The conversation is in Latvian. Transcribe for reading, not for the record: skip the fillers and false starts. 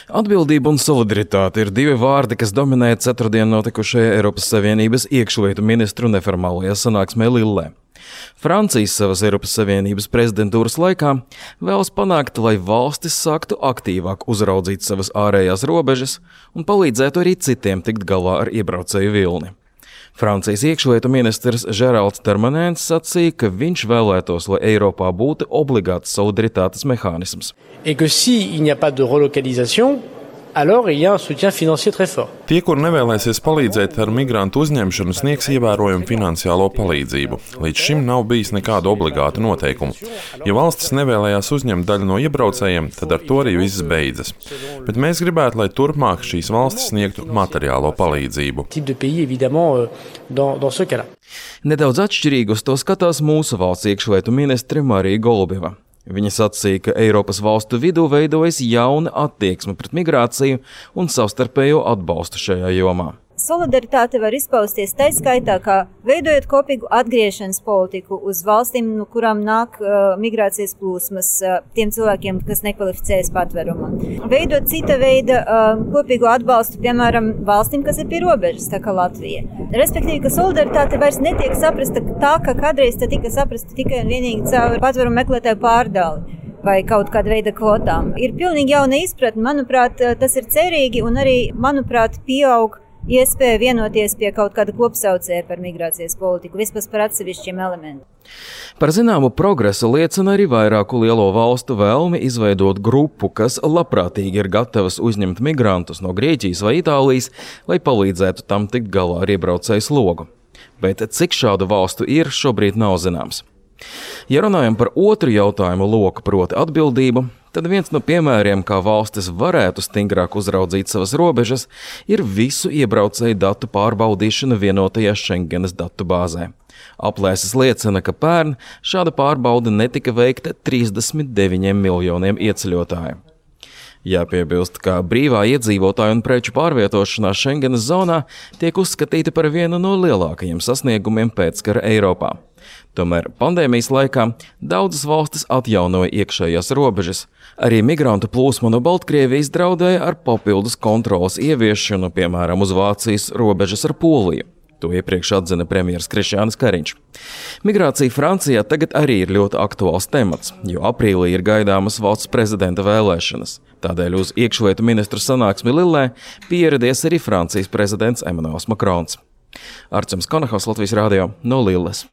Atbildība un solidaritāte ir divi vārdi, kas dominē ceturtdien notikušajā Eiropas Savienības iekšlietu ministru neformālajā sanāksmē Lillē. Francijas savas Eiropas Savienības prezidentūras laikā vēlas panākt, lai valstis sāktu aktīvāk uzraudzīt savas ārējās robežas un palīdzētu arī citiem tikt galā ar iebraucēju vilni. Francijas iekšlietu ministrs Žeralds Darmanens sacīja, ka viņš vēlētos, lai Eiropā būtu obligāts solidaritātes mehānisms. Et que si il n'y a pas de relocalisation, alors il y a un soutien financier très fort. Tie, kur nevēlēsies palīdzēt ar migrantu uzņemšanu, sniegs ievērojumu finansiālo palīdzību. Līdz šim nav bijis nekādu obligātu noteikumu. Ja valstis nevēlējās uzņemt daļu no iebraucējiem, tad ar to arī viss beidzas. Bet mēs gribētu, lai turpmāk šīs valstis sniegtu materiālo palīdzību. Nedaudz atšķirīgi uz to skatās mūsu valsts iekšlietu ministre Marija Golubieva. Viņa sacīja, ka Eiropas valstu vidū veidojas jauna attieksme pret migrāciju un savstarpējo atbalstu šajā jomā. Solidaritāte var izpausties tā skaitā, kā veidojot kopīgu atgriešanas politiku uz valstīm, no kurām nāk migrācijas plūsmas tiem cilvēkiem, kas nekvalificējas patverumu. Veidot cita veida kopīgu atbalstu, piemēram, valstīm, kas ir pie robežas, tā kā Latvija. Respektīvi, ka solidaritāte vairs netiek saprasta tā, ka kādreiz tā tika saprasta tikai un vienīgi caur patverumu meklētāju pārdali vai kaut kāda veida kvotām. Ir pilnīgi jauna izpratne, manuprāt, tas ir cerīgi un arī, manuprāt, pieaug iespēja vienoties pie kaut kāda kopsaucēja par migrācijas politiku, vispār par atsevišķiem elementiem. Par zināmu progresu liecina arī vairāku lielo valstu vēlmi izveidot grupu, kas labprātīgi ir gatavas uzņemt migrantus no Grieķijas vai Itālijas, lai palīdzētu tam tikt galā ar iebraucēju slogu. Bet cik šādu valstu ir, šobrīd nav zināms. Ja runājam par otru jautājumu loku, proti atbildību, tad viens no piemēriem, kā valstis varētu stingrāk uzraudzīt savas robežas, ir visu iebraucēju datu pārbaudīšana vienotajā Schengenas datu bāzē. Aplēses liecina, ka pērn šāda pārbauda netika veikta 39 miljoniem ieceļotāju. Jāpiebilst, ka brīvā iedzīvotāju un preču pārvietošanās Schengenas zonā tiek uzskatīta par vienu no lielākajiem sasniegumiem pēckara Eiropā. Tomēr pandēmijas laikā daudzas valstis atjaunoja iekšējās robežas. Arī migrantu plūsma no Baltkrievijas draudēja ar papildus kontrolas ieviešanu, piemēram, uz Vācijas robežas ar Poliju. To iepriekš atzina premjers Krišjānis Kariņš. Migrācija Francijā tagad arī ir ļoti aktuāls temats, jo aprīlī ir gaidāmas valsts prezidenta vēlēšanas. Tādēļ uz iekšlietu ministru sanāksmi Lillē pieradies arī Francijas prezidents Emmanuels Macrons. Arčuns Konahaus, Latvijas radio, no Lilles.